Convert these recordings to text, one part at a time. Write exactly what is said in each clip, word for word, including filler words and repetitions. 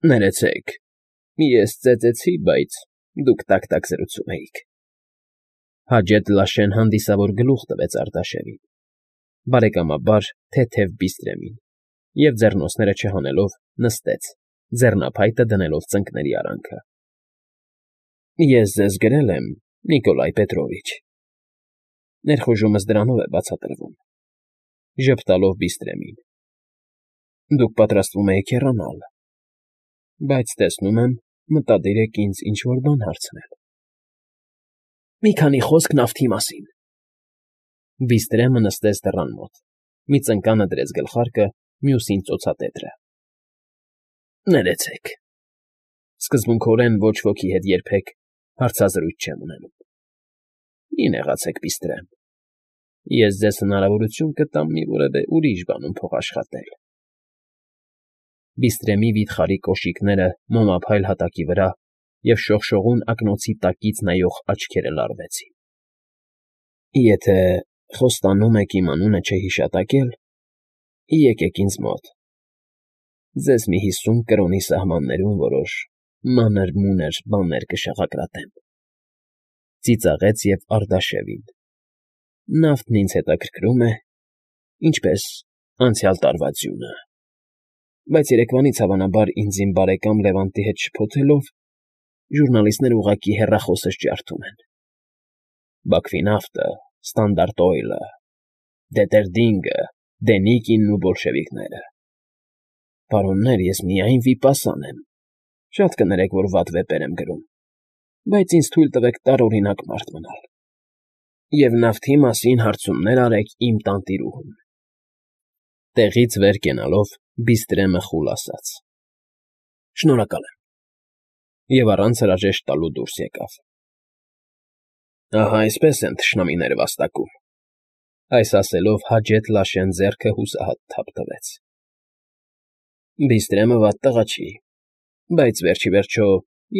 Ներեցեք, ես ծեծեցի, բայց դուք տակ֊տակ զրուցում էիք,֊ Հաջեթ Լաշեն հանդիսավոր գլուխ տվեց Արտաշեսին, բարեկամաբար թեթև բիստրեմին և, ձեռնոցները չհանելով, նստեց, ձեռնափայտը դնելով ծնկների արանքը։ ֊ Ես ձեզ գրել եմ, Նիկոլայ Պետրովիչ, ներխուժումս դրանով է բացատրվում, ժպտալով բիստրեմին, դուք պատրաստվում էիք հեռանալ, բայց, տեսնում եմ, մտադիր եք ինձ ինչ֊որ բան հարցնել։ ֊ Մի քանի խոսք նավթի մասին… Բիստրեմը նստեց դռան մոտ, մի ծնկանը դրեց գլխարկը, մյուսին ծոցատետրը։ ֊ Ներեցեք, սկզբունքորեն ոչ ոքի հետ երբեք հարցազրույց չեմ ունենում։ Մի նեղացեք, Բիստրեմ, ես ձեզ հնարավորություն կտամ մի որևէ ուրիշ բանում փոխաշխատել… Բիստրեմի վիթխարի կոշիկները մոմափայլ հատակի վրա և շողշողուն ակնոցի տակից նայող աչքերը լարվեցին։ ֊ Եթե խոստանում եք իմ անունը չհիշատակել, եկեք ինձ մոտ, ձեզ մի հիսուն կրոնի սահմաններում որոշ մանր֊մունր բաներ կշաղակրատեմ,֊ ծիծաղեց և Արտաշեսին,֊ նավթն ինձ հետաքրքրում է, ինչպես անցյալ տարվա ձյունը, բայց երեկվանից, հավանաբար, ինձ իմ բարեկամ Լևանտի հետ շփոթելով, ժուրնալիստները ուղղակի հեռախոսս ջարդում են. Բաքվի նավթը, Ստանդարտ Օյլը, Դետերդինգը, Դենիկինն ու բոլշևիկները… Պարոններ, ես միայն վիպասան եմ, շատ կներեք, որ վատ վեպեր եմ գրում, բայց ինձ թույլ տվեք տարօրինակ մարդ մնալ, և նավթի մասին հարցումներ արեք իմ տանտիրուհուն… Տեղից վեր կենալով Բիստրեմը խուլ ասաց. ֊ Շնորհակալ եմ… Եվ առանց հրաժեշտ տալու դուրս եկավ։ Ահա այսպես են թշնամիները վաստակում…֊ Այս ասելով Հաջեթ Լաշեն ձեռքը հուսահատ թափ տվեց։ ֊ Բիստրեմը վատ տղա չի, բայց, վերջ ի վերջո,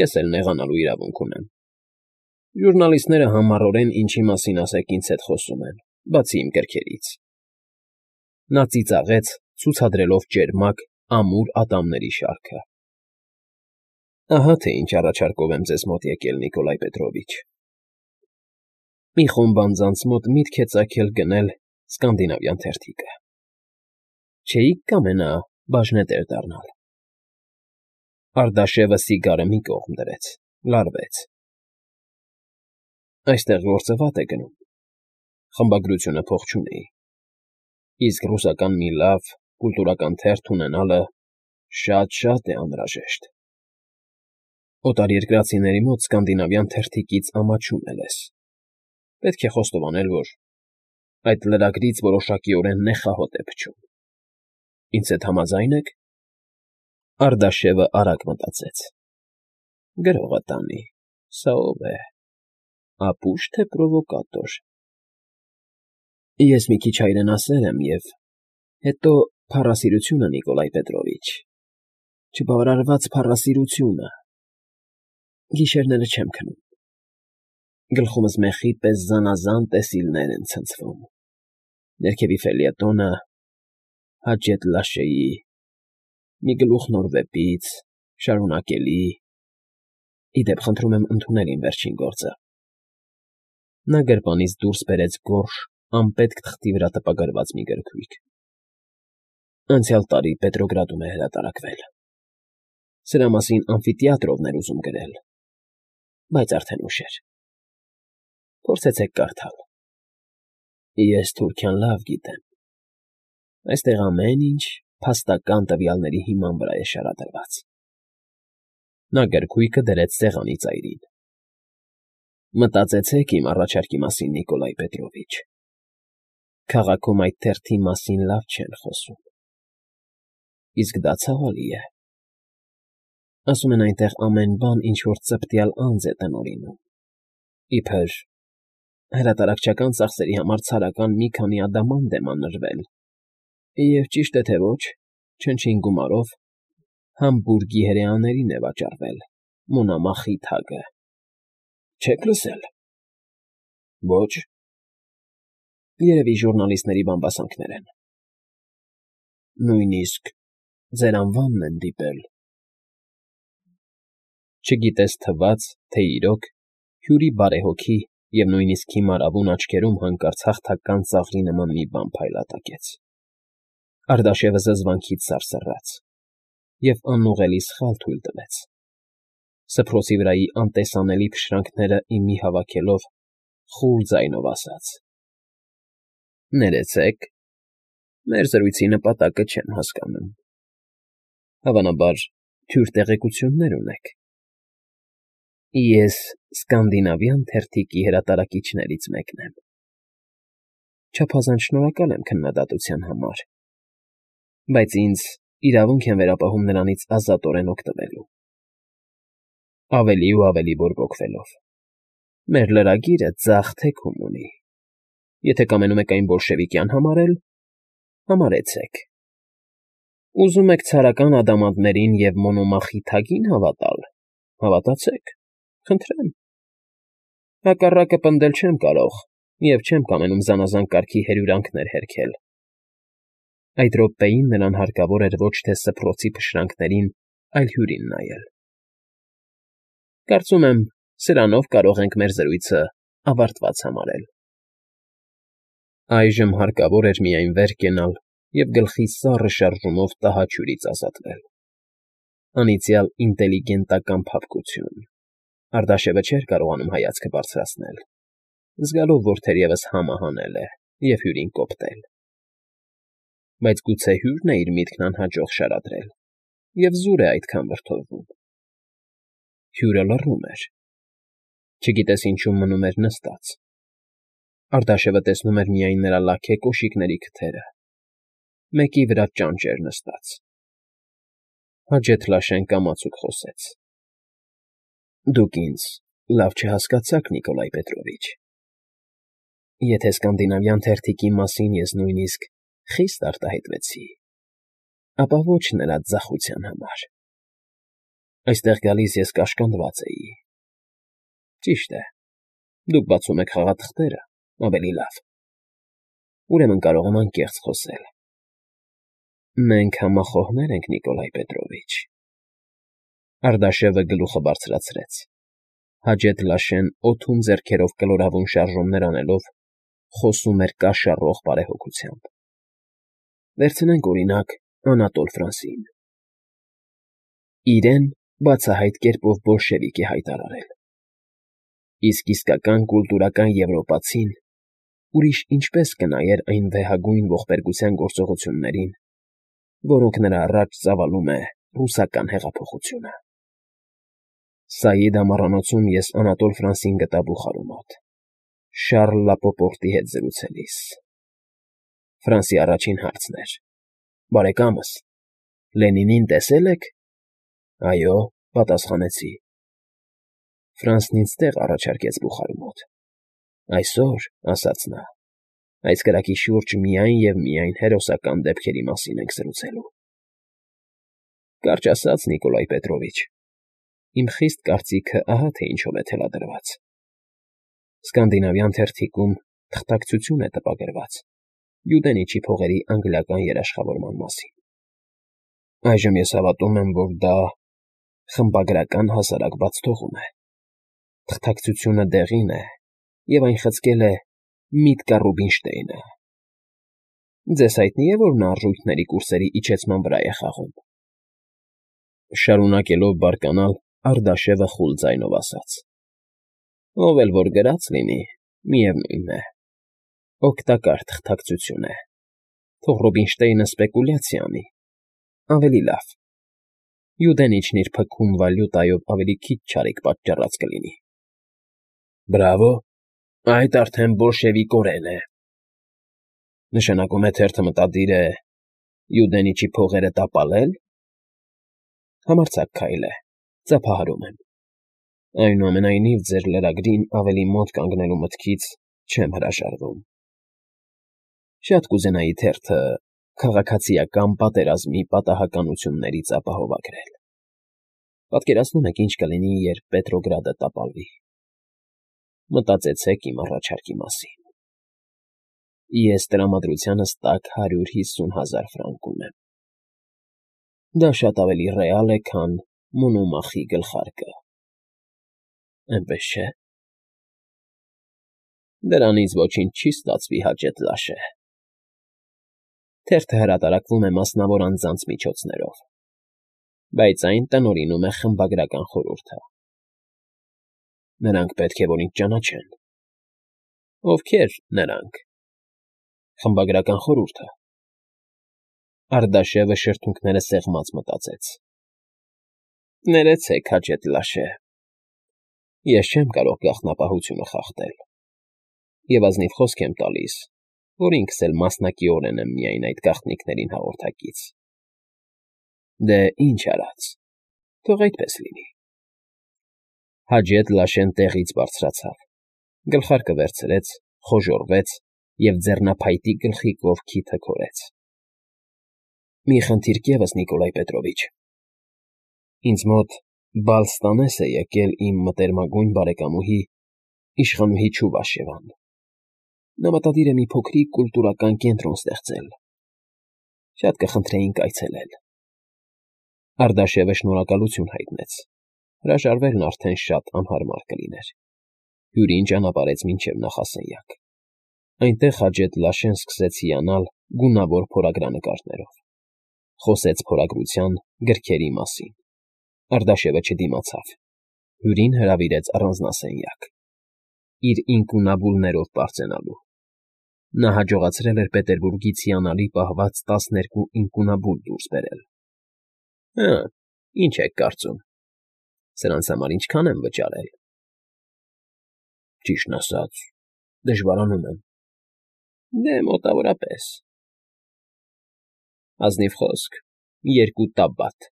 ես էլ նեղանալու իրավունք ունեմ… Ժուրնալիստները համառորեն ինչի մասին ասեք ինձ հետ խոսում են, բացի իմ գրքերից… Նա ծիծաղեց, ցուցադրելով ճերմակ, ամուր ատամների շարքը։ ֊ Ահա թե ինչ առաջարկով եմ ձեզ մոտ եկել, Նիկոլայ Պետրովիչ… Մի խումբ անձանց մոտ միտք է ծագել գնել սկանդինավյան թերթիկը… Չէի՞ք կամենա բաժնետեր դառնալ… Արտաշեսը սիգարը մի կողմ դրեց, լարվեց։ ֊ Այստեղ գործը վատ է գնում, խմբագրությունը փող չունի, իսկ ռուսական մի լավ, կուլտուրական թերթ ունենալը շատ֊շատ է անհրաժեշտ… Օտարերկրացիների մոտ սկանդինավյան թերթիկից ամաչում է լեզ, պետք է խոստովանել, որ այդ լրագրից որոշակիորեն նեխահոտ է փչում… Ինձ հետ համաձա՞յն եք… Արտաշեսը արագ մտածեց. Գրողը տանի, սա ո՞վ է… Ապուշ, թե պրովոկատոր… Ես մի քիչ հայրենասեր եմ և… հետո փառասիրությունը, Նիկոլայ Պետրովիչ, չբավարարված փառասիրությունը… Գիշերները չեմ քնում, գլխումս մեխի պես զանազան տեսիլներ են ցնցվում, ներքևի ֆելյետոնը, Հաջեթ Լաշեի, մի գլուխ նոր վեպից, շարունակելի… Ի դեպ, խնդրում եմ ընդունել իմ վերջին գործը… Նա գրպանից դուրս բերեց գորշ, անպետք թղթի վրա տպագրված մի գրքույկ. Անցյալ տարի Պետրոգրադում է հրատարակվել… Սրա մասին ամֆիթիատրովն էր ուզում գրել, բայց արդեն ուշ էր… Փորձեցեք կարդալ… Ես թուրքյան լավ գիտեմ… Այստեղ ամեն ինչ փաստական տվյալների հիման վրա է շարադրված… Նա գրքույկը դրեց սեղանի ծայրին։ Մտածեցեք իմ առաջարկի մասին, Նիկոլայ Պետրովիչ… Քաղաքում այդ թերթի մասին լավ չեն խոսում… Իսկ դա ցավալի է… Ասում են այնտեղ ամեն բան ինչ֊որ ծպտյալ անձ է տնօրինում, իբր հրատարակչական ծախսերի համար ցարական մի քանի ադամանդ է մանրվել և, ճիշտ է թե ոչ, չնչին գումարով Համբուրգի հրեաներին է վաճառվել Մոնամախի թագը… Չե՞ք լսել… Ո՞չ… Երևի ժուրնալիստների բամբասանքներ են… Նույնիսկ ձեր անվանն են դիպել… չգիտես թվաց, թե իրոք, հյուրի բարեհոգի և նույնիսկ հիմար ավուն աչքերում հանկարծ հաղթական ծաղրի նման մի բան փայլատակեց. Ардաշևը զզվանքից սարսռաց և անուղղելի սխալ թույլ տվեց. սփռոցի վրայի անտեսանելի փշրանքները ի մի հավաքելով, խուլ ձայնով ասաց. Ներեցեք, մեր զրույցի նպատակը չեմ հասկանում, հավանաբար թյուր տեղեկություններ ունեք։ Ես Սկանդինավյան թերթիկի հրատարակիչներից մեկն եմ։ Չափազանց շնորհակալ եմ քննադատության համար, բայց ինձ իրավունք են վերապահում նրանից ազատորեն օգտվելու։ Ավելի ու ավելի բորբոքվելով. Մեր լրագիրը ձախ թեքում ունի, եթե կամենում եք այն բոլշևիկյան համարել, համարեցեք, ուզում եք ցարական ադամանդներին և Մոնոմախի թագին հավատալ, հավատացեք, խնդրեմ, հակառակը պնդել չեմ կարող և չեմ կամենում զանազան կարգի հրյուրանքներ հերքել։ Այդ րոպեին նրան հարկավոր էր ոչ թե սփռոցի փշրանքներին, այլ հյուրին նայել։ Կարծում եմ, սրանով կարող ենք մեր զրույցը ավարտված համարել։ Այժմ հարկավոր էր միայն վեր կենալ և գլխի սառը շարժումով տհաճ հյուրից ազատվել։ Անիծյալ ինտելիգենտական փափկություն… Ардաշևը չէր կարողանում հայացքը բարձրացնել, զգալով, որ թերևս համը հանել է և հյուրին կոպտել։ Բայց գուցե հյուրն է իր միտքն անհաջող շարադրել և զուր է այդքան վրդովվում։ Հյուրը լռում էր, չգիտես ինչու մնում էր նստած։ Ардաշևը տեսնում էր միայն նրա լաքե կոշիկների քթերը, մեկի վրա ճանճ էր նստած։ Հաջեթլաշեն կամացուկ խոսեց. Դուք ինձ լավ չհասկացաք, Նիկոլայ Պետրովիչ։ Եթե սկանդինավյան թերթիկի մասին ես նույնիսկ խիստ արտահայտվեցի, ապա ոչ նրա ձախության համար։ Այստեղ գալիս ես կաշկանդված էի։ Ճիշտ է, դուք բացում եք խաղաթղթերը, ավելի լավ։ Ուրեմն կարող եմ անկեղծ խոսել։ Մենք համախոհներ ենք, Նիկոլայ Պետրովիչ։ Ардաշևը գլուխը բարձրացրեց, Հաջեթլաշեն օդում ձեռքերով կլորավուն շարժումներ անելով, խոսում էր կաշառող բարեհոգությամբ։ Վերցնենք, օրինակ, Անատոլ Ֆրանսին։ Իրեն բացահայտ կերպով բոլշևիկ է հայտարարել։ Իսկ իսկական կուլտուրական եվրոպացին ուրիշ ինչպես կնայեր այն վեհագույն ողբերգության գործողություններին, որոնք նրա առաջ ծավալում է ռուսական հեղափոխությունը։ Սաիդ ամառանոցում ես Անատոլ Ֆրանսին գտա բուխարու մոտ, Շառլ Լապոպորտի հետ զրուցելիս։ Ֆրանսի առաջին հարցն էր. Բարեկամս, Լենինին տեսե՞լ եք։ Այո, պատասխանեցի։ Ֆրանսն ինձ տեղ առաջարկեց բուխարու մոտ։ Այսօր, ասաց նա, այս կրակի շուրջ միայն և միայն հերոսական դեպքերի մասին ենք զրուցելու։ Կարճ ասած, Նիկոլայ Պետրովիչ, իմ խիստ կարծիքը ահա թե ինչով է թելադրված։ Սկանդինավյան թերթիկում թղթակցություն է տպագրված Յուդենիչի փողերի անգլիական երաշխավորման մասին։ Այժմ ես հավատում եմ, որ դա խմբագրական հասարակ բացթողում է։ Թղթակցությունը դեղին է, և այն խցկել է Միտկա Ռուբինշտեյնը։ Ձեզ հայտնի է, որ նա արժույթների կուրսերի իջեցման վրա է խաղում։ Շարունակելով բարկանալ, Ардաշևը խուլ ձայնով ասաց. Ով էլ որ գրած լինի, միևնույն է, օգտակար թղթակցություն է, թող Ռուբինշտեյնը սպեկուլյացիա անի, ավելի լավ, Յուդենիչն իր փքում վալյուտայով ավելի քիչ չարիք պատճառած կլինի։ Բրավո, այդ արդեն բոլշևիկորեն է։ Նշանակում է թերթը մտադիր է Յուդենիչի փողերը տապալել։ Համարձակ քայլ է, ծափահարում եմ։ Այնուամենայնիվ, ձեր լրագրին ավելի մոտ կանգնելու մտքից չեմ հրաժարվում։ Շատ կուզենայի թերթը քաղաքացիական պատերազմի պատահականություններից ապահովագրել։ Պատկերացնում եք, ինչ կլինի, երբ Պետրոգրադը տապալվի։ Մտածեցեք իմ առաջարկի մասին։ Ես տրամադրությանս տակ հարյուր հիսուն հազար ֆրանկ ունեմ։ Դա շատ ավելի ռեալ է, քան Մոնոմախի գլխարկը։ Էնպես չէ։ Դրանից ոչինչ չի ստացվի, Հաջեթ Լաշե։ Թերթը հրատարակվում է մասնավոր անձանց միջոցներով, բայց այն տնօրինում է խմբագրական խորհուրդը։ Նրանք պետք է որ ինձ ճանաչեն։ Ովքե՞ր նրանք։ Խմբագրական խորհուրդը։ Արտաշևը շրթունքները սեղմած մտածեց։ Ներեցեք, Հաջեթ Լաշե։ Ես չեմ կարող գաղտնապահությունը խախտել, և ազնիվ խոսք եմ տալիս, որ ինքս էլ մասնակիորեն եմ միայն այդ գաղտնիքներին հաղորդակից։ Դե, ինչ արած, թող այդպես լինի։ Հաջեթ Լաշեն տեղից բարձրացավ, գլխարկը վերցրեց, խոժոռվեց և ձեռնափայտի գլխի կողքի թքորեց։ Մի խնդիրք ևս, Նիկոլայ Պետրովիչ։ Ինձ մոտ բալ ստանես է եկել իմ մտերմագույն բարեկամուհի, իշխանուհի Չուվաշևան։ Նա մտադիր է մի փոքրիկ կուլտուրական կենտրոն ստեղծել։ Շատ կխնդրեինք այցելել։ Արտաշևը շնորհակալություն հայտնեց։ Հրաժարվելն արդեն շատ անհարմար կլիներ։ Հյուրին ճանապարհեց մինչև նախասենյակ։ Այնտեղ Հաջեթ Լաշեն սկսեց հիանալ գունավոր փորագրանկարներով։ Խոսեց փորագրության, գրքերի մասին։ Արտաշևը չդիմացավ։ Հյուրին հրավիրեց առանձնասենյակ, իր ինքունաբուլներով պարծենալու։ Նա հաջողացրել էր Պետերբուրգից հիանալի պահված տասներկու ինքունաբուլ դուրս բերել։ Հը, ինչ եք կարծում, սրանց համար ինչքան եմ վճարել։ Ճիշտն ասած, դժվարանում եմ։ Դե, մոտավորապես։ Ազնիվ խոսք, երկու տաբատ,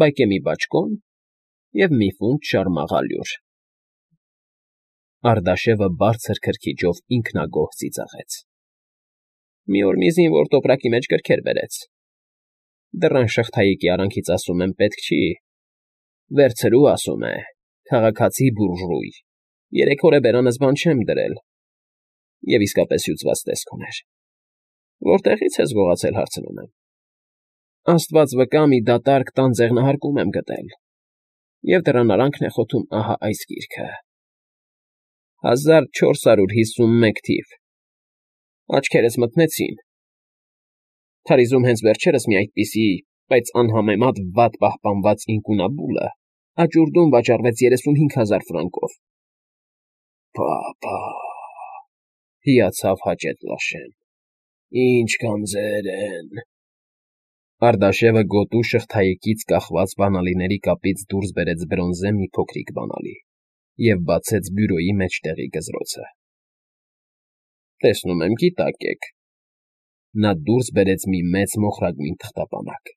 բայկեմի բաճկոն և մի ֆունտ շարմաղալյուր։ Արտաշևը բարձր քրքիջով ինքնագոհ ծիծաղեց։ Մի օր մի զինվոր տոպրակի մեջ գրքեր բերեց։ Դռան շղթայիկի արանքից ասում եմ պետք չի։ Վերցրու, ասում է, քաղաքացի բուրժուй, երեք օր է բերանս բան չեմ դրել։ Եվ իսկապես հյուծված տեսք ուներ։ Որտեղի՞ց ես գողացել, հարցնում եմ։ Աստված վկա, մի դատարկ տան ձեղնահարկում եմ գտել։ Եվ դռան արանքն է խոթում ահա այս գիրքը. հազար չորս հարյուր հիսունմեկ թիվ։ Աչքերս մթնեցին։ Փարիզում հենց վերջերս մի այդպիսի, բայց անհամեմատ վատ պահպանված ինքունաբուլը աճուրդում վաճառվեց երեսունհինգ հազար ֆրանկով։ Փա՜փա՜, հիացավ Հաջեթ Լաշեն։ Ինչ գանձեր են։ Արտաշևը գոտու շղթայիկից կախված բանալիների կապից դուրս բերեց բրոնզե մի փոքրիկ բանալի և բացեց բյուրոյի մեջտեղի գզրոցը։ Տեսնում եմ, գիտակ եք։ Նա դուրս բերեց մի մեծ մոխրագույն թղթապանակ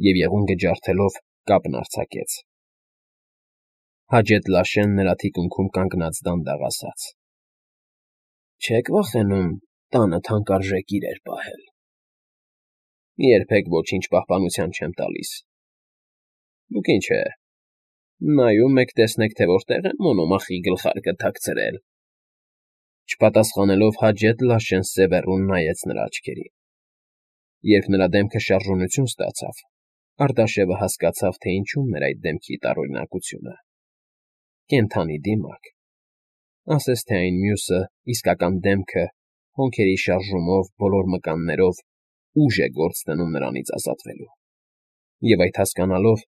և եղունգը ջարդելով կապն արձակեց։ Հաջեթ Լաշեն նրա թիկունքում կանգնած դանդաղ ասաց. Չեք վախենում տանը թանկարժեք իրեր պահել։ Երբեք ոչինչ պահպանության չեմ տալիս։ Դուք ինչ է, նայում եք, տեսնեք, թե որտեղ եմ Մոնոմախի գլխարկը թաքցրել։ Չպատասխանելով Հաջեթ Լաշեն սևեռուն նայեց նրա աչքերին։ Երբ նրա դեմքը շարժունություն ստացավ, Արտաշևը հասկացավ, թե ինչումն էր այդ դեմքի տարօրինակությունը։ Կենդանի դիմակ։ Ասես թե այն մյուսը, իսկական դեմքը, հոնքերի շարժումով, բոլոր մկաններով ուժ է գործ դնում նրանից ազատվելու։ Եվ այդ հասկանալով,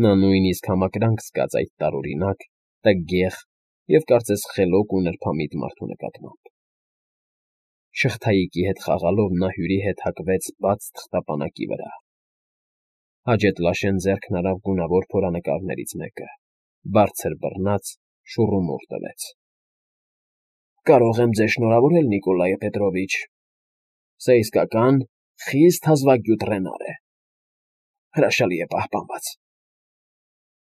նա նույնիսկ համակրանք զգաց այդ տարօրինակ, տգեղ և կարծես խելոք ու նրբամիտ մարդու նկատմամբ։ Շղթայիկի հետ խաղալով նա հյուրի հետ հակվեց բաց թղթապանակի վրա։ Հաջեթ Լաշեն ձեռքն արավ գունավոր փորանկարներից մեկը, բարձր բռնած, շուռումուռ տվեց։ Կարող եմ ձեզ շնորհավորել, Նիկոլայ Պետրովիչ։ Սա իսկական խիստ հազվագյուտ ռենար է։ Հրաշալի է պահպանված։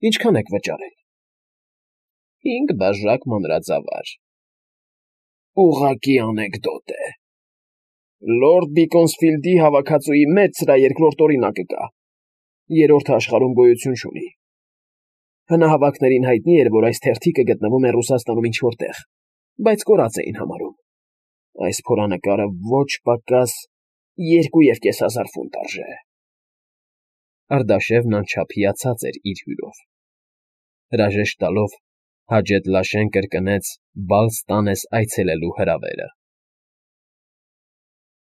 Ինչքան եք վճարել։ Հինգ բաժակ մանրածավալ։ Ուղղակի անեկդոտ է։ Լորդ Բիկոնսֆիլդի հավաքածուի մեջ սրա երկրորդ օրինակը կա։ Երրորդը աշխարհում գոյություն չունի։ Հնահավաքներին հայտնի էր, որ այս թերթիկը գտնվում է Ռուսաստանում ինչ-որ տեղ, բայց կորած էին համարում։ Այս փորանկարը ոչ պակաս երկու և կես հազար ֆունտ արժե։ Արտաշևն անչափ հիացած էր իր հյուրով։ Հրաժեշտ տալով, Հաջետլաշեն կրկնեց «բալ ստանես» այցելելու հրավերը։